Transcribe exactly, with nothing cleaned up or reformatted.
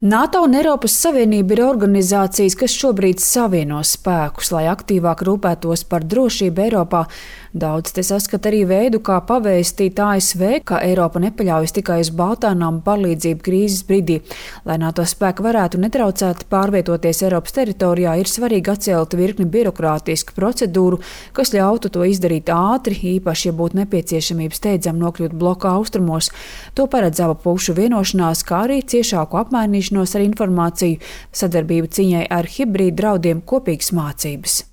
NATO un Eiropas Savienība ir organizācijas, kas šobrīd savieno spēkus, lai aktīvāk rūpētos par drošību Eiropā. Daudz te saskata arī veidu, kā pavēstīt A S V, ka Eiropa nepaļaujas tikai uz Baltānām palīdzību krīzes brīdī. Lai NATO spēki varētu netraucēti pārvietoties Eiropas teritorijā, ir svarīgi atcelt virkni birokrātisku procedūru, kas ļautu to izdarīt ātri, īpaši, ja būtu nepieciešamība steidzam nokļūt bloka austrumos. To paredz abu pušu vienošanās, kā arī ciešāku apmainīšanu ar informāciju, sadarbību cīņai ar hibrīdu draudiem, kopīgas mācības.